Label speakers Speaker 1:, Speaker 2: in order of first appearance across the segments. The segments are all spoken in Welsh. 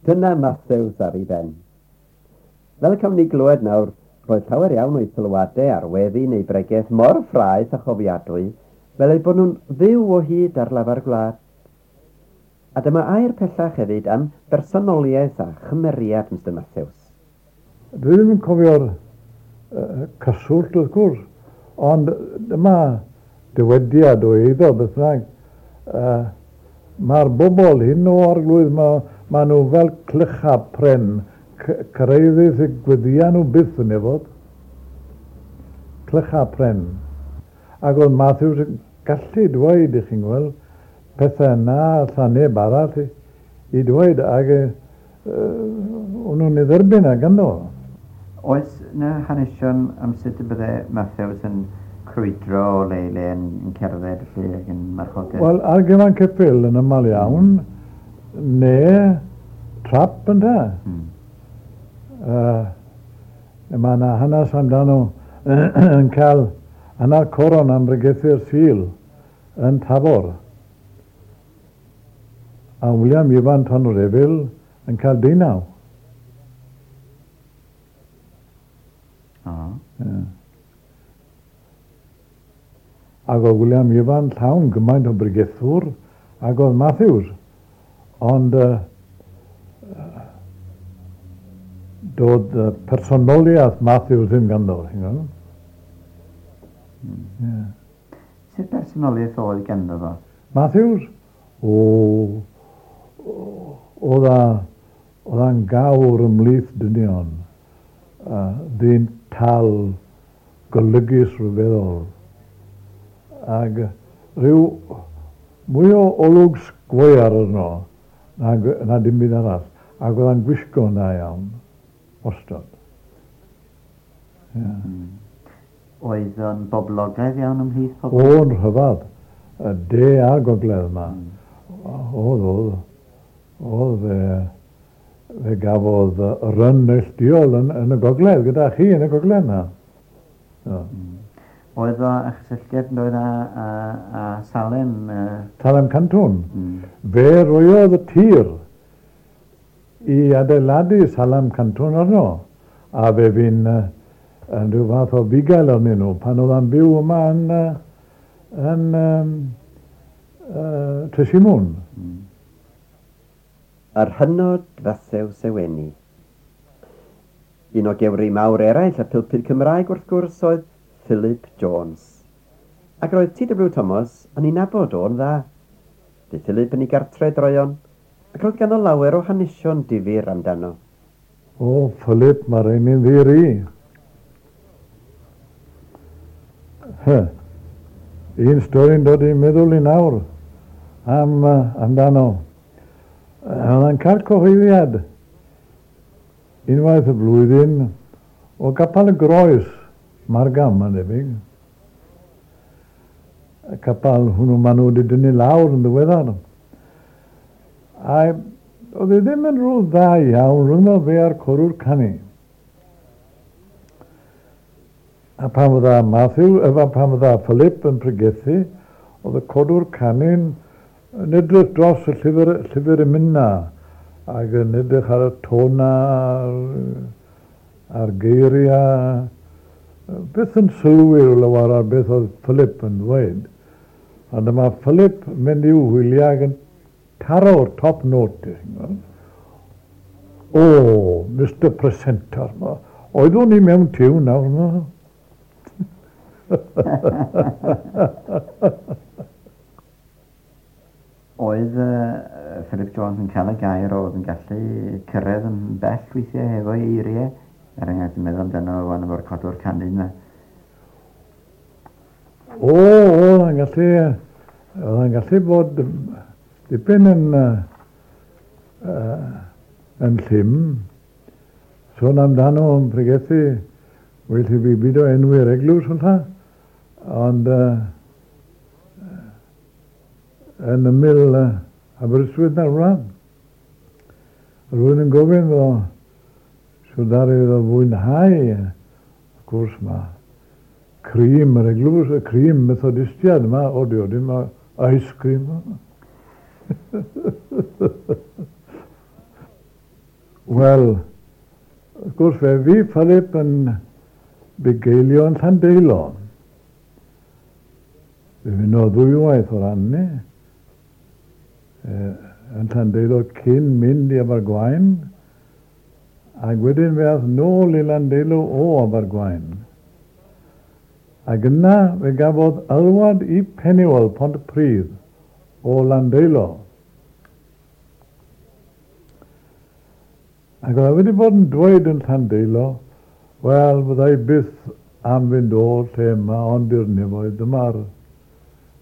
Speaker 1: Dyna Matthews ar ei ben. Fel y cawn ni glywed nawr, roedd llawer iawn o'i sylwadau ar weddi neu bregeth mor ffraeth a chofiadwy fel eu bod nhw'n fyw o hyd ar lafar gwlad. A dyma air pellach hefyd am bersonoliaeth a chymeriad Mister Matthews.
Speaker 2: Dwi ddim yn cofio'r cyswllt wrth gwrs, ond dyma dywediad o eiddo beth bynnag. Mae'r bobl hyn o Arglwydd, ma nhw fel clychau pren, cyrhaeddith y gweddïau nhw byth yn efod. Clychau pren. Ac oedd Matthews yn gallu dweud, i chi'n gweld, pethau na alla neb arall i dweud, ac o'n nhw'n ei dderbyn ag ynddo.
Speaker 1: Oes 'na hanesion am sut y bydde Matthews yn crwydro o le i le yn cerdded felly ac yn marchogaeth?
Speaker 2: Wel, ar gefn ceffyl yn aml iawn, neu trap ynte. Mae yna hanes amdano yn cael hanner coron am bregethu'r Sul yn Tabor. A William Ifan Tonyrefail yn cael 19. Yeah. Ac oedd William Ifan llawn gymaint o bregethwr ac oedd Matthews. Ond doedd personoliaeth Matthews ddim ganddo, chi'n gweld? Yeah.
Speaker 1: Sut personoliaeth oedd ganddo fo?
Speaker 2: Matthews? O, oedd a'n gawr ymhlith dynion. Ddyn tal, golygus rhyfeddol. Ac rhyw mwy o olwg sgwâr arno na dim byd arall. Ac oedd a'n gwisgo yn dda iawn, wastad. Yeah.
Speaker 1: Oedd o'n boblogaidd iawn ymhlith pobl?
Speaker 2: O'n rhyfedd, y de a'r gogledd yma. Oedd, oedd. Oedd fe gafodd ryn neilltuol yn y gogledd, gyda chi yn y gogledd yna.
Speaker 1: Oedd o a chysylltiad yn dod â Salem?
Speaker 2: Salem Cantwn. Fe roiodd y tir i adeiladu Salem Cantwn arno, a fe fu'n yn rhyw fath o fugail arnyn nhw pan oedd yn byw yma yn Tresimwn.
Speaker 1: Yr hynod Fathews Eweni. Un o gewri mawr eraill y pilpyd Cymraeg wrth gwrs oedd Philip Jones. Ac roedd T.W. Thomas yn ei nabod o'n dda. Bu Philip yn ei gartre droeon, ac roedd ganddo lawer o hanesion difyr amdano.
Speaker 2: O, Philip, mae rhain i'n ddir i. Un stori'n dod i'n meddwl i nawr amdano. Oedd yn cael cyhoeddiad unwaith y blwyddyn o Gapel y Groes, Margam, mae'n debyg. Y capel hwnnw maen nhw wedi dynnu lawr yn ddiweddar. A oedd e ddim yn rhyw dda iawn rhwng fe a'r corwr canu. A pan fydda Matthew, efo pan fydda Philip yn pregethu, oedd y codwr canu'n yn edrych dros y llyfr emyna, ac yn edrych ar y tona, a'r geiriau. Beth yn sylwi lawer ar beth oedd Philip yn dweud. A dyma Philip yn mynd i'w hwyliau ac yn taro'r top note. O, Mr Presenter, oeddwn i mewn tiwn nawr. No?
Speaker 1: Oedd Philip Jones yn cael y gair oedd yn gallu cyrraedd yn bell weithiau hefo'i eiriau? Er enghraifft, yn meddwl amdano wan efo'r codwr canu yma.
Speaker 2: O, oedd yn gallu, oedd yn gallu bod dipyn yn llym. Sôn amdano yn pregethu, well i fi byd o enwi'r eglwys falle, ond yn ymyl Aberystwyth na'r wlad. Rwy'n yn gofyn fo, so ddaru iddo fwynhau, wrth gwrs ma cream yr eglwys, y cream Methodistiad yma, o dio, dim ice cream. Wel, wrth gwrs fe fu Philip yn bugeilio yn Llandeilo. Fe fynodd ddwywaith o ran ni. Yn Llandeilo cyn mynd i Abergwaun, ac wedyn fe ath nôl i Landeilo o Abergwaun. Ac yna fe gafodd alwad i Penuel Pontypridd o Landeilo. Ac oedd e wedi bod yn dweud yn Llandeilo, wel, fydda i byth am fynd o'r lle yma, ond i'r nefoedd, dyma'r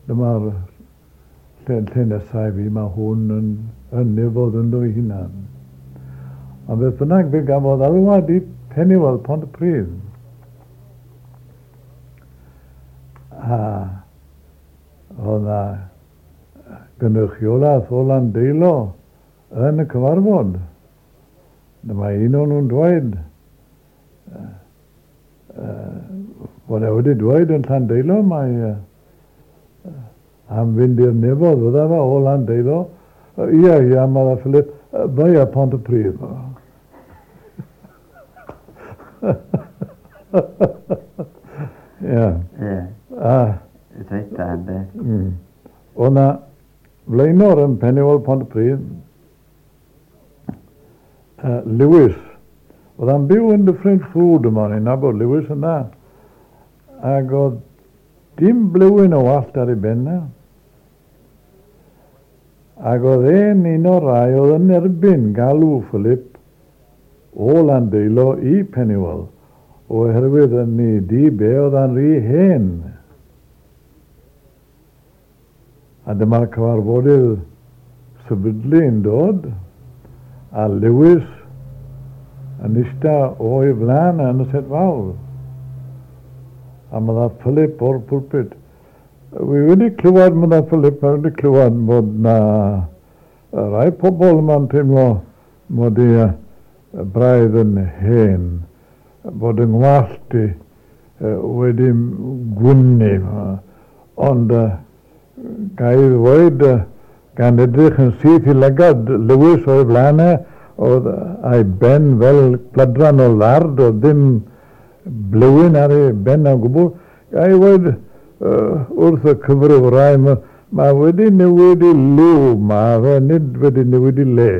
Speaker 2: dyma'r lle, lle nesaf i fi, mae hwn yn, yn nefoedd ynddo ei hunan. Ond beth bynnag, fe gafodd alwad i Penuel Pontypridd. A oedd 'na gynrychiolaeth o Landeilo yn y cyfarfod. Dyma un o'n nhw'n dweud bod e wedi dweud yn Llandeilo mai am fynd i'r nefoedd fydda fe o Landeilo. Ia, ia, medda Philip, via Pontypridd. Ia.
Speaker 1: Ie.
Speaker 2: A...
Speaker 1: Reit da, ynde?
Speaker 2: Oedd 'na flaenor yn Penuel Pontypridd, Lewis. Oedd e'n byw yn Dyffryn Ffrwd yma, o'n i'n nabod Lewis yn dda. Ac oedd dim blewyn o wallt ar ei ben e. Ac oedd e'n un o'r rai oedd yn erbyn galw Philip o Landeilo i Penuel, oherwydd yn ei dyb e oedd e'n rhy hen. A dyma'r cyfarfodydd sefydlu yn dod, a Lewis yn ista o'i flaen yn y set fawr. A medda Philip o'r pulpit. Wi wedi clywed, medda Philip, mae wedi clywed bod na rai pobl yma'n teimlo mod i braidd yn hen, bod yng ngwallt i wedi gwynnu. Ond ga i ddweud, gan edrych yn syth i lygad Lewis o'i flaen e, oedd a'i ben fel pladran o lard, oedd ddim blewyn ar ei ben o gwbl. Ga i ddweud wrth y cyfryw rai, mae wedi newid i liw, mae fe nid wedi newid i le.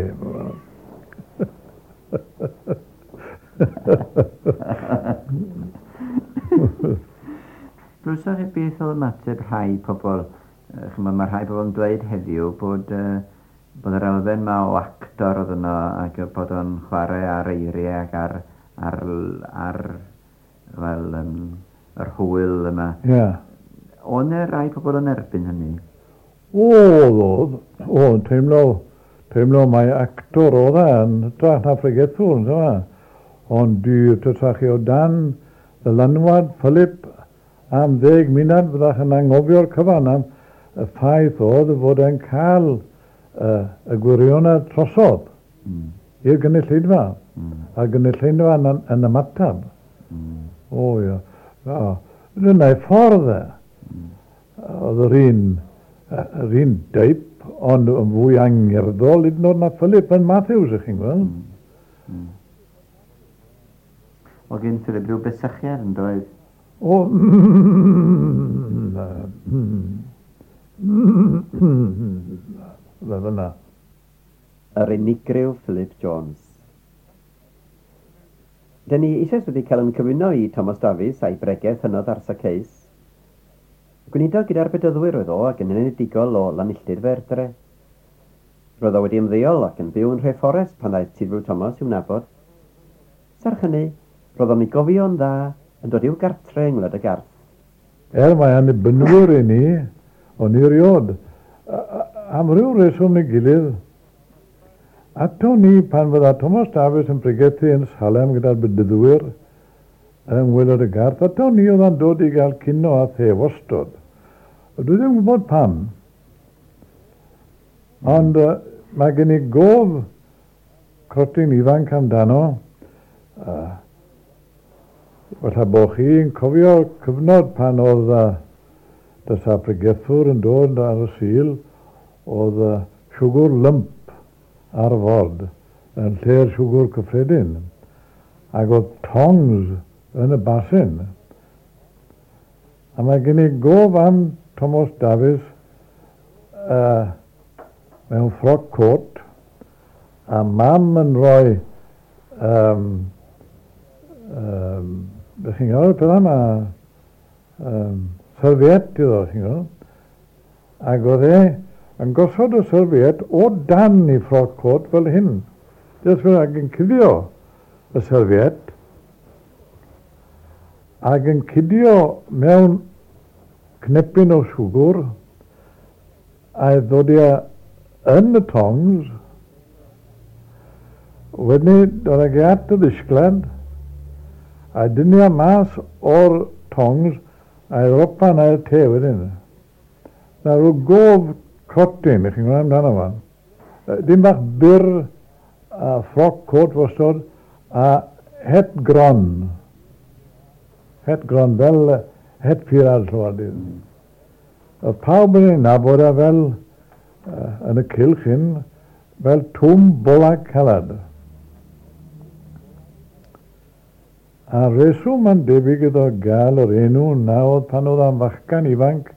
Speaker 1: Glywsoch chi beth oedd ymateb rhai pobl? Chimod, mae rhai pobl yn dweud heddiw bod, bod yr elfen ma o actor oedd yno ac bod o'n chwarae ar eiriau ac ar, ar, ar wel, yr hwyl yma.
Speaker 2: Ie. Yeah.
Speaker 1: Oedd yna rai pobl yn erbyn hynny?
Speaker 2: Oedd, oedd. Oedd, teimlo, teimlo mai actor oedd e yn hytrach na phregethwr, yndyfe? Ond dwi, tasach chi o dan ddylanwad Philip am 10 munud, fyddach yn anghofio'r cyfan am y ffaith oedd fod e'n cael y gwirionedd trosodd i'r gynulleidfa, a'r gynulleidfa yn ymateb. O ia. Dyna'i ffordd e. Oedd yr un, yr un deip, ond yn fwy angerddol hyd yn oed na Philip yn Matthews, ych chi'n gweld.
Speaker 1: Oedd gen Philip rhyw besychiad yn doedd?
Speaker 2: O, fel yna.
Speaker 1: Yr unigryw Philip Jones. Dyn ni eisoes wedi cael yn cyfuno i Thomas Davies a'i bregeth hynod ar Zacchaeus. Gweinidog gyda'r Bedyddwyr oedd o ac yn enedigol o Lanilltud Faerdre. Roedd o wedi ymddeol ac yn byw yn Nhrefforest pan ddaeth T.W. Thomas i'w nabod. Serch hynny, roedd o'n ei gofio'n dda yn dod i'w gartre yng Ngwlad y Garth.
Speaker 2: Er mai annibynwyr i ni, o'n i erioed, am ryw reswm neu gilydd, ato ni pan fydda Thomas Davies yn pregethu yn Salem gyda'r Bedyddwyr yng Ngwylod y Garth, ato ni oedd yn dod i gael cino a the wastod. Dwi ddim yn gwybod pam. Ond mae gen i gof crotyn ifanc amdano. Falle bod chi'n cofio cyfnod pan oedd dysa pregethwr yn dod ar y Sul, oedd siwgr lymp ar ford. yn lle'r siwgr cyffredin. Ac oedd tongs yn y basin. A mae gen i gof am Thomas Davies mewn frock coat, a mam yn rhoi, beth chi'n gweld, peth yma, serviette iddo, chi'n gweld. Ac oedd e yn gosod y serviette o dan i frock coat fel hyn. Jyst fel ac yn cuddio y serviette, ac yn cuddio mewn cnepyn o siwgr, a'i ddod i yn y tongs. Wedyn dod ag at y ddisgled, a dynnu mas o'r tongs, a'i ropan a'r te wedyn. Na rhyw gof crotyn, i chi'n gwybod amdano fo. Dim bach byr, a frock coat wastod, a het gron. Het gron, fel het pirad llwad. Oedd pawb yn ei nabod a fel, yn y cylch hyn, fel Twm Bola Calad. A reswm yn debyg iddo gael yr enw na oedd pan oedd am fachgan ifanc,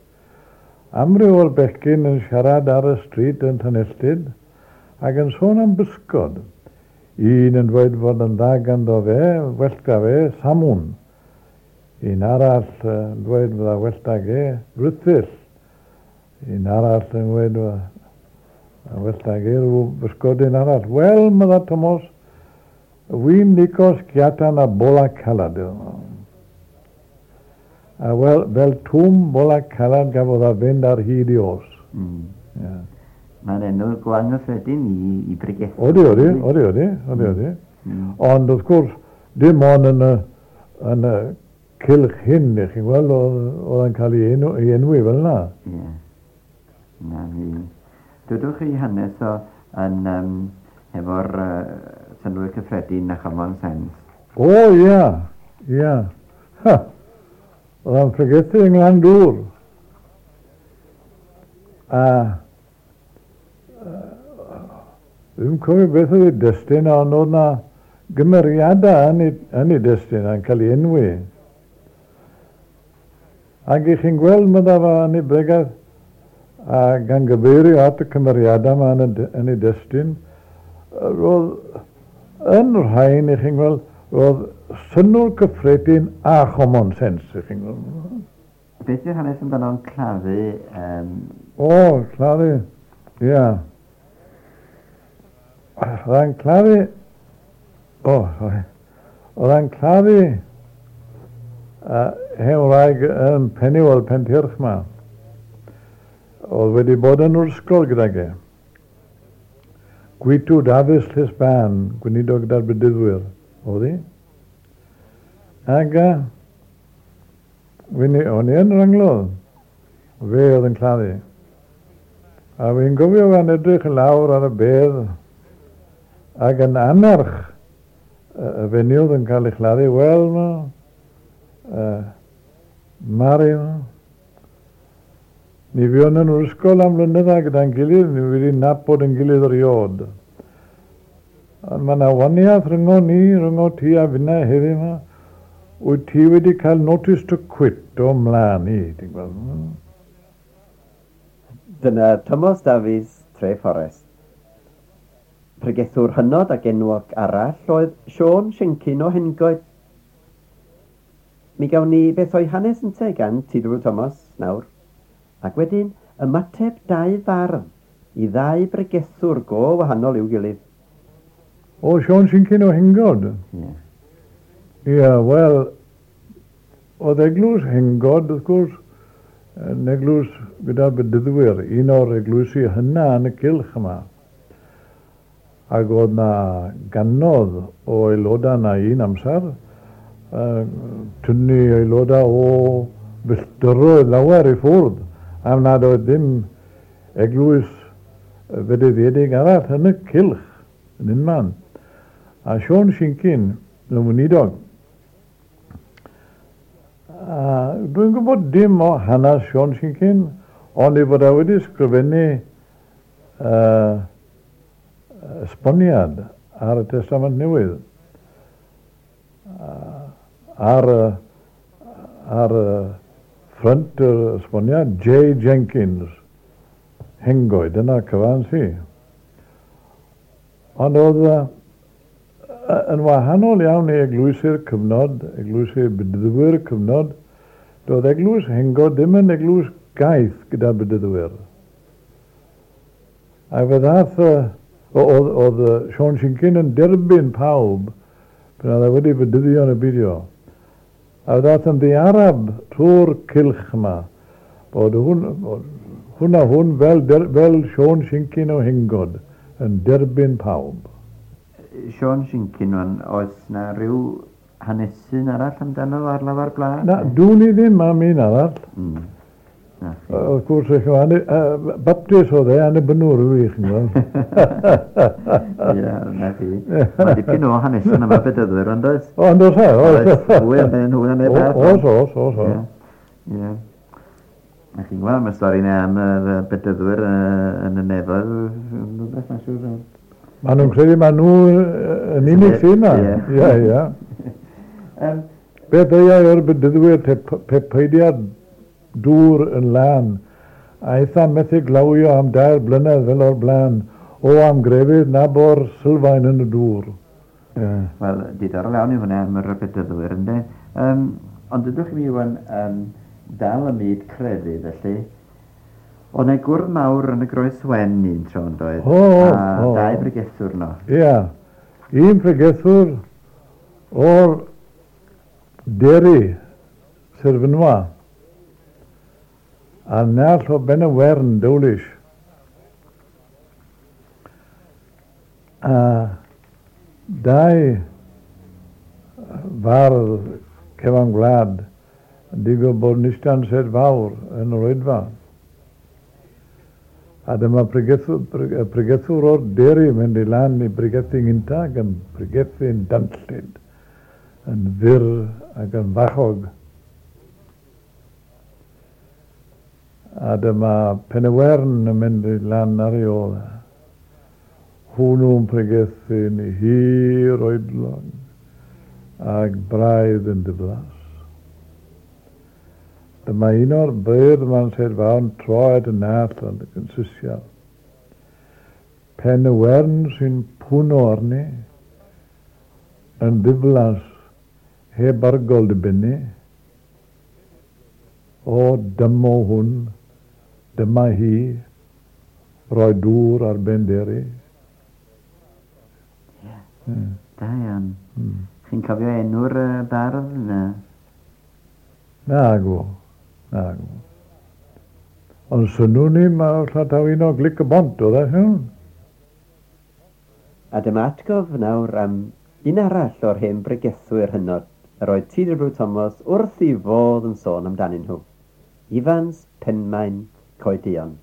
Speaker 2: amryw o'r bechgyn yn siarad ar y stryd yn Llanelltyd ac yn sôn am bysgod. Un yn dweud fod yn dda ganddo fe, well ga fe, samwn. Un arall yn dweud fod well da ge, rhythyll. Un arall yn dweud well da ge, rhyw bysgodyn arall. Wel, medda Thomas, wy'n licio sgiatan a bola calad. A wel, fel Twm Bola Calad gafodd a fynd ar hyd i os. Yeah.
Speaker 1: Mae'n enw go anghyffredin i bregethu.
Speaker 2: Odi, odi, odi, odi, odi. Ond wrth gwrs, dim ond yn y cylch hyn, i chi'n gweld, oedd yn cael ei enwi fel yna.
Speaker 1: Ie. Na, mi. Dwedwch chi hanes o yn efo'r synnwyr cyffredin a common sense.
Speaker 2: O, ia, ia. Ha! Oedd o'n pregethu yng Nglandŵr. A dwi'n cofio beth oedd ei destun, ond oedd na gymeriadau yn ei destun a'n cael ei enwi. Ac i chi'n gweld medda fo yn ei bregaeth, a gan gyfeirio at y cymeriadau yma yn ei destun, roedd yn rhain, i chi'n gweld, roedd synnwyr cyffredin a common sense, i chi'n gweld.
Speaker 1: Beth yw'r hanes amdano'n claddu?
Speaker 2: O, claddu, ia. Oedd e'n claddu, o, sorry. Oedd e'n claddu hen wraig yn Pennywell, Pentyrch ma. Oedd wedi bod yn yr ysgol gydag e. Gwitw Dafis Llysban, gweinidog gyda'r Bedyddwyr, oedd hi. Ac o'n i yn yr anglodd, fe oedd yn claddu. A fi'n gofio fe'n edrych i lawr ar y bedd, ac yn annerch y fenyw oedd yn cael ei chladdu, wel, Mari, ni fuon yn yr ysgol am flynyddau gyda'n gilydd, ni wedi nabod yn gilydd erioed. Ond mae yna waniaeth rhyngo ni, rhyngo ti a finna heddiw yma. Wyt ti wedi cael notice to quit o mlaen i, ti'n gweld.
Speaker 1: Dyna Thomas Davies, Trefforest. Pregethwr hynod ac enwog arall oedd Siôn Siencyn o Hengoed. Mi gawn ni beth o'i hanes ynte gan Tudor Thomas nawr. Ac wedyn ymateb dau fardd i ddau bregethwr go wahanol i'w gilydd.
Speaker 2: O, Siôn Siencyn o Hengod?
Speaker 1: Ie.
Speaker 2: Ie, wel, oedd eglwys Hengod, wrth gwrs, yn eglwys gyda'r Bedyddwyr, un o'r eglwysi hynna yn y cylch yma. Ac oedd na gannoedd o aelodau na un amser, tynnu aelodau o filltiroedd lawer i ffwrdd, am nad oedd dim eglwys fedyddiedig arall yn y cylch, yn unman. A Siôn Siencyn, yn weinidog. A dwi'n gwybod dim o hanes Siôn Siencyn, ond ei fod e wedi sgrifennu esboniad ar y Testament Newydd. Ar y ffrynt yr esboniad, J. Jenkins, Hengoed, dyna cyfan si. Ond oedd yn wahanol iawn i eglwysi'r cyfnod, eglwysi'r bedyddwyr cyfnod, doedd eglwys Hengoed ddim yn eglwys gaeth gyda bedyddwyr. A fe ddath, oedd Siôn Siencyn yn derbyn pawb pan oedd e wedi bedyddio yn y byddio. A fe ddath yn ddiarab trwy'r cylch yma, bod hwn a hwn fel Siôn Siencyn o Hengod yn derbyn pawb.
Speaker 1: Siôn Siencyn, oes na rhyw hanesyn arall amdano ar lafar gwlad?
Speaker 2: Na, dwn i ddim am un arall. Wrth gwrs, Baptist oedd e, annibynnwr yw i, chi'n gweld.
Speaker 1: Ie, na chi. Mae dipyn o hanesion am y bedyddwyr, ond oes?
Speaker 2: O, ond oes e, oes.
Speaker 1: Fwy amdanyn nhw na neb arall.
Speaker 2: Oes, oes, oes.
Speaker 1: Ie. A chi'n gweld, mae'r stori yna am y bedyddwyr yn y nefoedd, rhywbeth, mae'n siŵr.
Speaker 2: Maen nhw'n credu maen nhw yn unig sy'n yna. Ie, ie. Beth ddeuai o'r bedyddwyr pe peidiad dŵr yn lân, a eitha methu glawio am 2 blynedd fel o'r blaen, o am grefydd na bo'r sylfaen yn y dŵr.
Speaker 1: Wel, diddorol iawn yw hwnna am yr bedyddwyr, ynddo? Ond dydwch chi wan dal y myd crefydd, felly. Oedd yna gwrdd mawr yn y Groes Wen un tro, yn doedd?
Speaker 2: O,
Speaker 1: a 2 bregethwr no.
Speaker 2: Ia, un pregethwr o'r Deri, Sir Fynwa, a nall o Ben y Wern, Dowlish. A 2 fardd cefn gwlad yn digwydd bod yn eistedd sedd fawr yn yr oedfa. A dyma pregethwr o'r Deri mynd i lan i bregethu gynta ac yn pregethu'n danllyd, yn fyr ac yn fachog. A dyma Pen y Wern yn mynd i lan ar ei ôl. Hwnnw'n pregethu'n hir oedlog ac braidd yn diflas. Dyma un o'r beirdd yma'n sedd fawr yn troed yn nall yn sisial. Pen y Wern sy'n pwno arni yn ddiflas heb argol dibynnu. O, dymo hwn, dyma hi, roi dŵr ar ben Deri.
Speaker 1: Ie, da iawn. Chi'n cofio enw'r bardd? Na?
Speaker 2: Nagw, nagw. Ond swnwn ni, mae llataw un o Glic y Bont, oedd e, hwn?
Speaker 1: A dyma atgof nawr am un arall o'r hen bregethwyr hynod yr oedd T.W. Thomas wrth i fodd yn sôn amdanyn nhw. Ifans Penmaen Coeduon.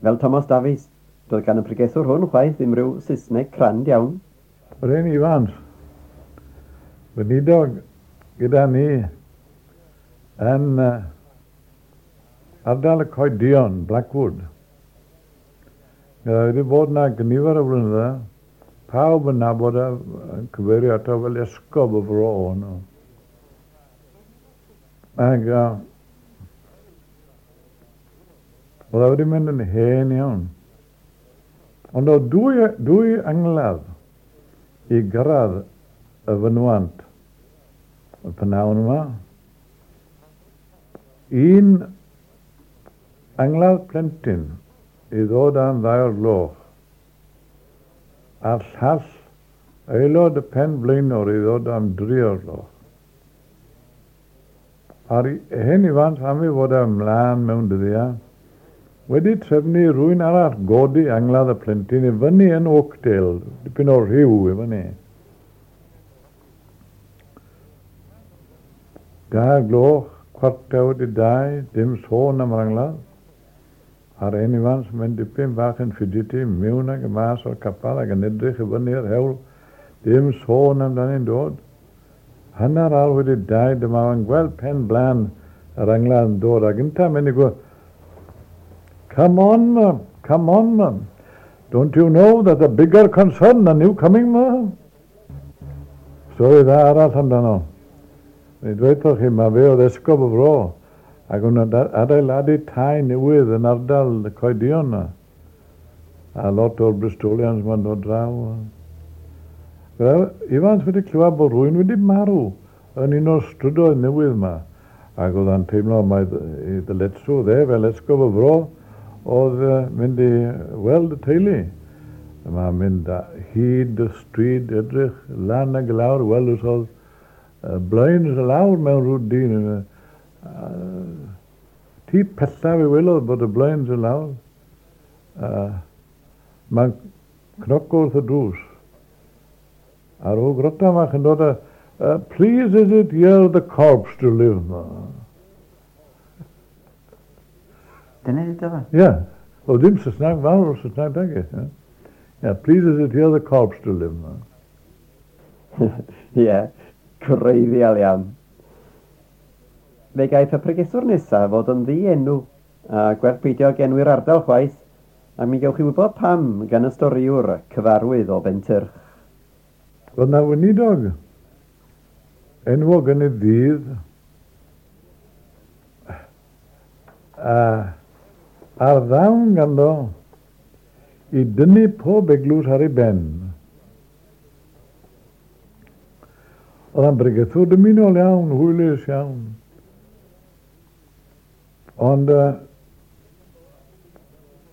Speaker 1: Fel Thomas Davies, doedd gan y pregethwr hwn chwaith ddim rhyw Saesneg crand iawn.
Speaker 2: Yr hen Ifans, weinidog gyda ni yn ardal y Coeduon, Blackwood. Gyda wedi bod yna gynifer o flynyddoedd, pawb yn nabod e, yn cyfeirio ato fel esgob y fro hwnnw. Ac oedd e wedi mynd yn hen iawn. Ond oedd dwy angladd i gyrraedd y fynwant y pnawn yma. Un angladd plentyn i ddod am 2 o'r gloch, a'r llall aelod y pen blaenor i ddod am 3 o'r gloch. A'r hen Ifans am ei fod e ymlaen mewn dyddiau, wedi trefnu rhywun arall godi angladd y plentyn i fyny yn Oakdale, dipyn o rhyw i fyny. 2 gloch, 1:45, dim sôn am yr angladd. A'r hen Ifans mynd dipyn bach yn fidgety mewn ag y mas o'r capel ac yn edrych i fyny'r hewl, dim sôn amdani'n dod. 2:30, dyma fo'n gweld pen blaen yr angladd yn dod, ac ynta mynd i gweud, "Come on, mum, come on, mum." Don't you know that the bigger concern are new coming, ma? Stori dda arall amdano. Mi dweud chi, mae fe oedd esgob y fro, ac o'n adeiladu tai newydd yn ardal y Coedion na. A lot o'r Bristolians ma'n dod draw. Ifans wedi clywed bod rhywun wedi marw yn un o'r strydoedd newydd yma. Ac oedd o'n teimlo mai ei ddyletswydd e fel esgob y fro oedd mynd i weld y teulu. Mae'n mynd hyd y stryd, edrych lan ag lawr, weld os oedd blinds lawr mewn rhyw dyn. Tŷ pellaf i welodd bod y blinds yn lawr. Mae'n cnoco wrth y drws. A rhyw grota fach yn dod a, please is it here the corpse to live?
Speaker 1: Dyna ydy fe?
Speaker 2: Ie. Yeah. O, dim Saesneg fawr o Saesneg dag e. Yeah, please is it here the corpse to live?
Speaker 1: Ie, yeah, gwreiddiol iawn. Fe gaiff y pregethwr nesaf fod yn ddienw, a gwerth peidio ag enwi'r ardal chwaith, a mi gewch chi wybod pam gan y storiwr cyfarwydd o Bentyrch.
Speaker 2: Roedd na weinidog enwog yn ei ddydd, a a'r ddawn ganddo i dynnu pob eglwys ar ei ben. Oedd o'n bregethwr dymunol iawn, hwylus iawn. Ond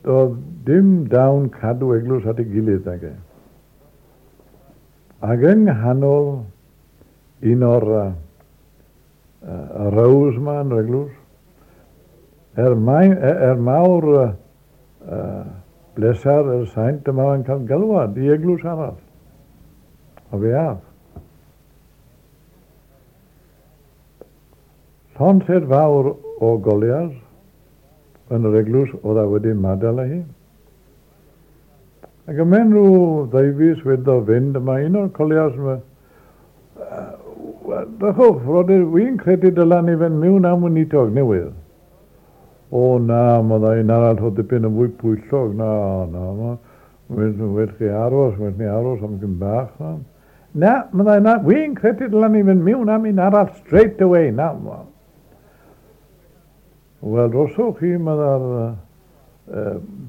Speaker 2: doedd dim dawn cadw eglwys at ei gilydd ag e. Ac yng nghanol un o'r rows yma yn yr eglwys, mawr blesar yr saint yma yn cael galwad i eglwys arall. A fe ath. Llond set fawr o golias yn yr eglwys oedd a wedi madael â hi. Ac ymhen rhyw ddeufis wedi fynd, yma un o'r colias yma, drychwch, frodyr, wy'n credu dyla ni fynd mewn am weinidog newydd. O na, mae un arall o dipyn yn fwy pwyllog, na, na, well chi aros, well ni aros am gyn bach. Na, na, mae na, wy'n credu dyla ni fynd mewn am un arall straight away, na. Wel, roswch chi, mae'r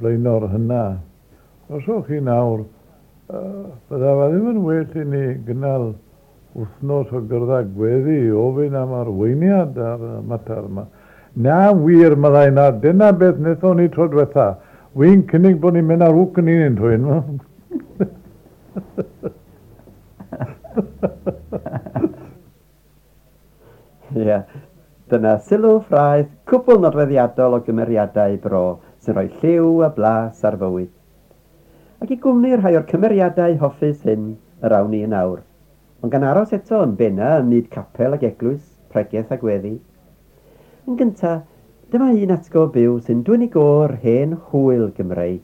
Speaker 2: blaenor hynna, roswch chi nawr, bydda fe ddim yn well i ni gynnal wythnos o gyrraedd gweddi i ofyn am arweiniad ar y mater yma. Na wir, meddai na, dyna beth wnaethon ni tro diwetha. Wy'n cynnig bod ni'n mynd ar wc yn un twyn.
Speaker 1: Ie, dyna sylw ffraeth cwbl nodweddiadol o gymeriadau bro sy'n rhoi lliw a blas ar fywyd. Ac i gwmni rhai o'r cymeriadau hoffus hyn yr awn ni yn awr. Ond gan aros eto yn benna ym myd capel ac eglwys, pregeth a gweddi. Yn gynta, dyma un atgof byw sy'n dwyn i gôr hen hwyl Gymreig.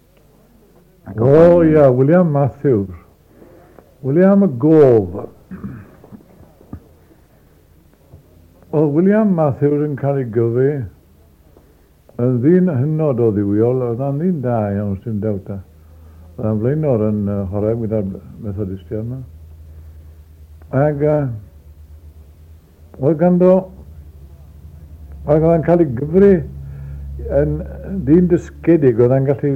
Speaker 2: O ia, William Matthews. William y Gof. Oedd William Matthews yn cael ei gyfu yn ddyn hynod o ddiwiol, oedd o'n ddyn da iawn, sy'n dewta. Oedd o'n flaenor yn chwarae gyda'r Methodistiaid yma. Ac oedd ganddo, oedd o'n cael ei gyfri yn ddyn dysgedig, oedd o'n gallu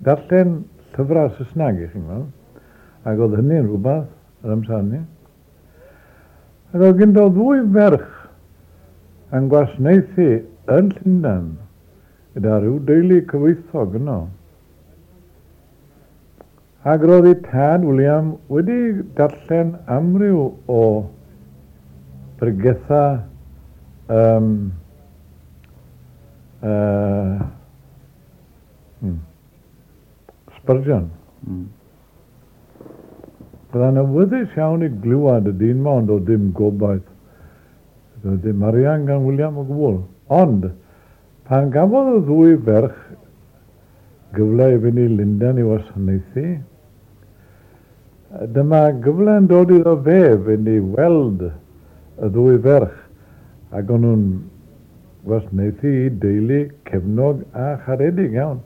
Speaker 2: darllen llyfrau Saesneg, i chi'n gweld, ac oedd hynny'n rhywbeth yr amser hynny. Ac oedd ganddo ddwy ferch yn gwasanaethu yn Llundain gyda rhyw deulu cyfoethog yno. Ac roedd ei tad William wedi darllen amryw o bregetha Spurgeon. Byddai'n awyddus iawn i glywed y dyn ma, ond oedd dim gobaith. Doedd dim arian gan William o gwbl. Ond, pan gafodd y ddwy ferch gyfle i fynd i Lundain i wasanaethu, dyma gyfle yn dod iddo fe fynd i weld y ddwy ferch, ac o'n nhw'n wasanaethu i deulu cefnog a charedig iawn.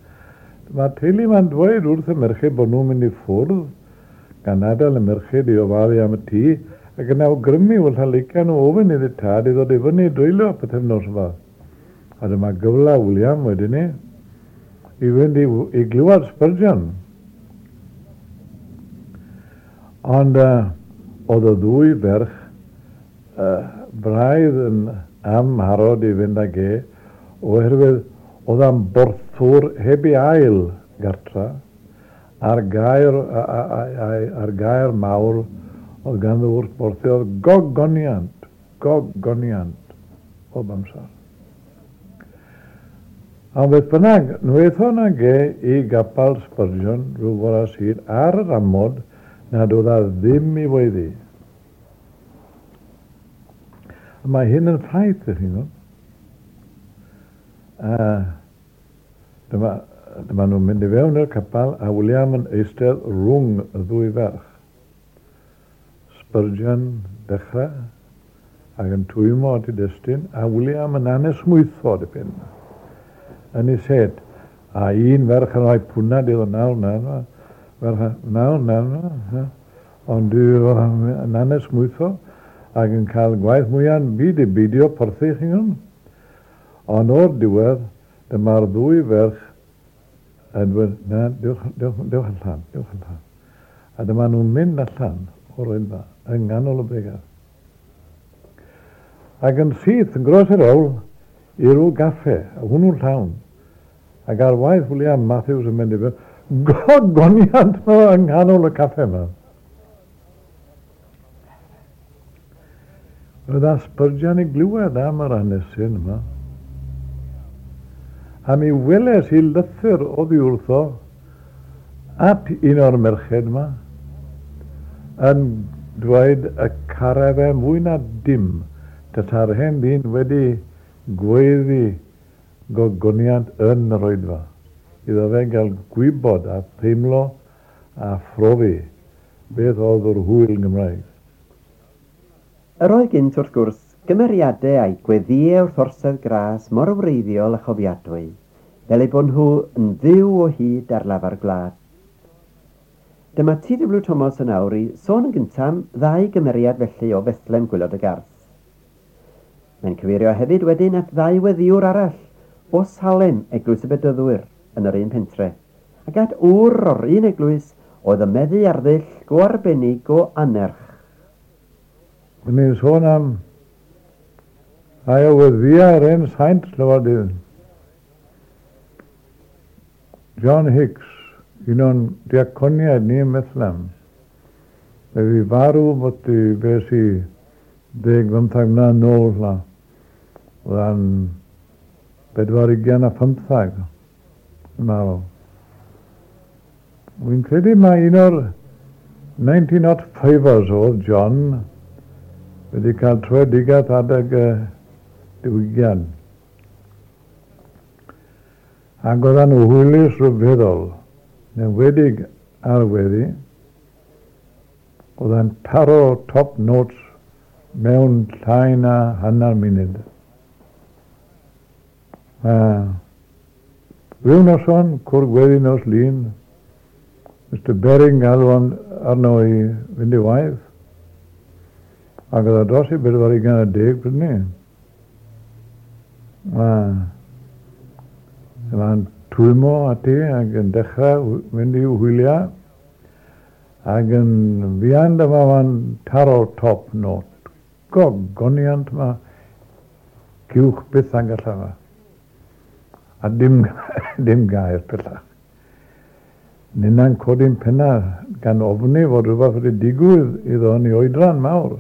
Speaker 2: Mae'r teulu ma'n dweud wrth y merched bod nhw'n mynd i ffwrdd, gan adael y merched i ofalu am y tŷ, ac yn awgrymu wrth lica nhw ofyn iddi tad i ddod i fyny i dreulio pythefnos yma. A dyma gyfle William wedyn ni i fynd i glywed Spurgeon. Ond oedd y ddwy ferch braidd yn amharod i fynd ag e, oherwydd oedd am borthwr heb ei ail gartra, a'r gair mawr oedd ganddo wrth borthi oedd gogoniant, gogoniant, bob amser. Ond beth bynnag, nhw aethon ag e i gapel Spurgeon rhyw fore Sul ar yr amod nad oedd a ddim i weiddi. Mae hyn yn ffaith, ych chi'n gwybod. Dyma nhw'n mynd i fewn i'r capel a William yn eistedd rhwng y ddwy ferch. Spurgeon dechrau ac yn twymo at ei destun, a William yn anesmwytho dipyn yn ei set. A un ferch yn rhoi pwnad iddo nawr, ferch nawr, ond yn anesmwytho ac yn cael gwaith mwya'n byd i beidio porthi, chi'n gwybod. Ond o'r diwedd, dyma'r ddwy ferch yn dweud, na, dewch allan, dewch allan. A dyma nhw'n mynd allan o'r oedfa, yng nghanol y bregeth. Ac yn syth, yn gros yr hewl, i ryw gaffe, a hwnnw'n llawn. Ac ar waith William Matthews yn mynd i fewn, gogoniant yma yng nghanol y caffe yma. Roedd a Spurgeon i glywed am yr hanesyn yma. A mi weles i lythyr oddi wrtho at un o'r merched yma yn dweud y caraf e mwy na dim tasa'r hen ddyn wedi gweiddi gogoniant yn yr oedfa. Iddo fe gael gwybod a theimlo a phrofi beth oedd yr hwyl Gymraeg.
Speaker 1: Yr oedd gynt wrth gwrs gymeriadau a'i gweddïau wrth orsedd gras mor wreiddiol a chofiadwy, fel eu bod nhw yn fyw o hyd ar lafar gwlad. Dyma T.W. Thomas yn awr i sôn yn gyntaf am ddau gymeriad felly o Fethlem Gwylod y Garth. Mae'n cyfeirio hefyd wedyn at ddau weddiwr arall o Salem, Eglwys y Bedyddwyr, yn yr un pentre, ac at ŵr o'r un eglwys oedd yn meddu ar ddull go arbennig o anerch.
Speaker 2: Ni'n sôn am rhai o weddïau'r hen saint llywodydd. John Hicks, un o'n diaconiaid ni ym Methlehem. Fe fi farw bod i beth i 15 mlynedd nôl la. Oedd yn 25 yn marw. Wy'n credu mai un o'r 1905ers oedd John wedi cael troedigaeth adeg y diwygiad. Ac oedden nhw hwylus rhyfeddol, yn enwedig ar weddi, oedd yn taro top notes mewn llai na hanner munud. Rhyw noson, cwrdd gweddi nos Lun, Mr Bering galw arno i fynd i waith, ac oedd o dros i 40 pryd ni. Mae'n twymo ati ac yn dechrau mynd i'w hwyliau, ac yn fuan dyma mae'n taro top note. Gogoniant yma, cywch byth angall yma. A dim gair pellach. Ninna'n codi'n penna gan ofni fod rhywbeth wedi digwydd iddo yn ei oedran mawr.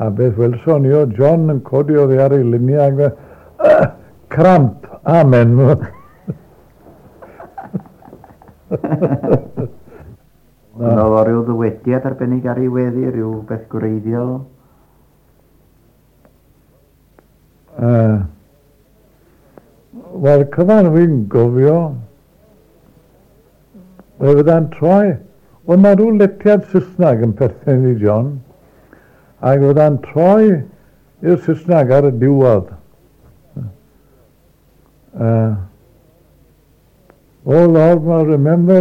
Speaker 2: A beth welson ni o John yn codi oddi ar ei luniau ac cramp, amen.
Speaker 1: Oedd o ryw ddywediad arbennig ar ei weddi, rhyw beth gwreiddiol?
Speaker 2: Wel, cyfan fi'n gofio, fe fydda'n troi, oedd na rhyw letiad Saesneg yn perthyn i John, ac fydda'n troi i'r Saesneg ar y diwedd. Oh Lord, remember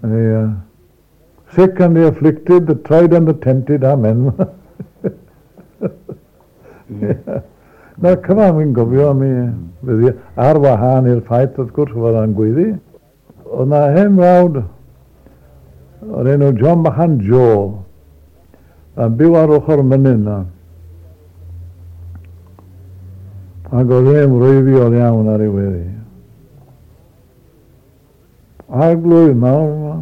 Speaker 2: the sick and the afflicted, the tried and the tempted, amen. Yeah. Na cyfan fi'n gofio am i ar wahân i'r ffaith wrth gwrs fod o'n gweiddi. Oedd na hen frawd o'r enw John Bachan Joe yn byw ar ochr mynydd na. Ac oedd e'n wreiddiol iawn ar ei weddi. Arglwydd mawr,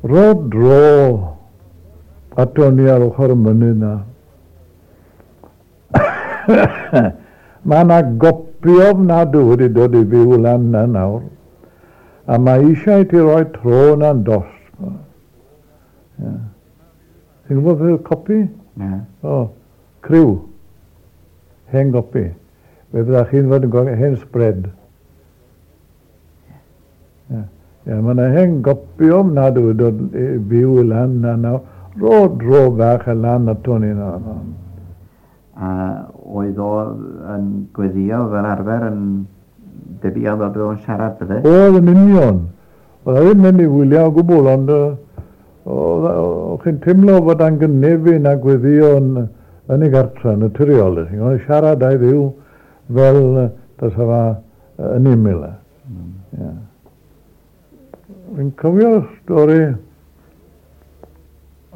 Speaker 2: ro dro ato ni ar ochr y mynydd na. Mae yna gopi ofnadw wedi dod i fyw lan na nawr. A mae eisiau ti roi tro na'n dost. Yeah. Ti'n gwybod beth yw'r copi?
Speaker 1: Na.
Speaker 2: O, criw. Hen gopi. Fe fydda chi'n fod yn gweld hen spread. Yeah. Yeah, mae yna hen gopi ofnadw wedi dod i fyw lan na nawr. Ro dro bach y lan ato ni na.
Speaker 1: A oedd o yn gweddio fel arfer yn debyg iawn fel bod o'n siarad, bydde?
Speaker 2: Oedd yn union. Oedd e ddim mynd i wylio o gwbl, ond o'ch chi'n teimlo fod angen gynefin a gweddio yn ei gartre, yn naturiol. Oedd siarad a'i ddiw fel tasa fa yn ymyl. Yeah. Fi'n cofio stori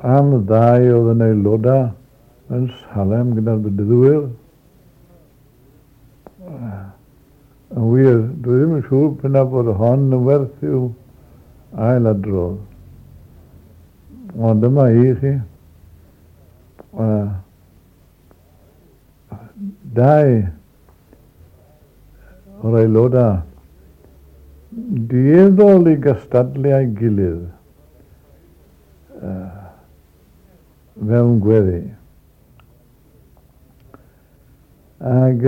Speaker 2: am ddau oedd yn aelodau yn Salem gyda'r bedyddwyr. Yn wir, dwi ddim yn siŵr p'un bod hon yn werth i'w ailadrodd. Ond dyma i chi. Dau o'r aelodau dueddol i gystadlu â'i gilydd mewn gweddi. Ac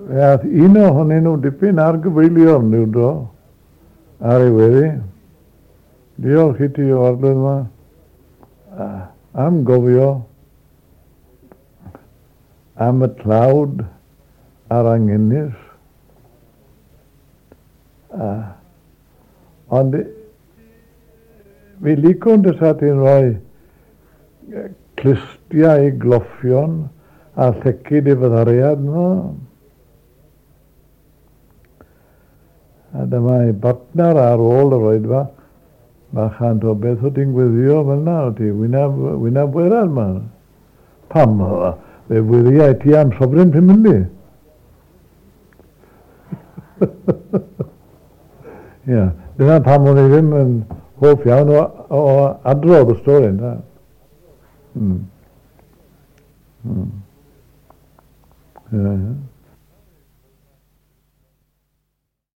Speaker 2: fe ath un ohonyn nhw dipyn ar gyfeiliorn ryw dro ar ei weddi. Diolch i ti o Arglwydd yma am gofio am y tlawd a'r angenus. Ond fi licwn dysa ti'n rhoi clustiau i gloffion a llecyd i fyddariad nhw. A dyma ei bartner ar ôl yr oedfa, bachan o beth o ti'n gweddio fel na, o ti wynab werad ma. Pam, fe wyddiau ti am sobryn pyn mynd i. Ia, dyna pam o'n i ddim yn hoff iawn o adrodd y stori, na. Ie, ie.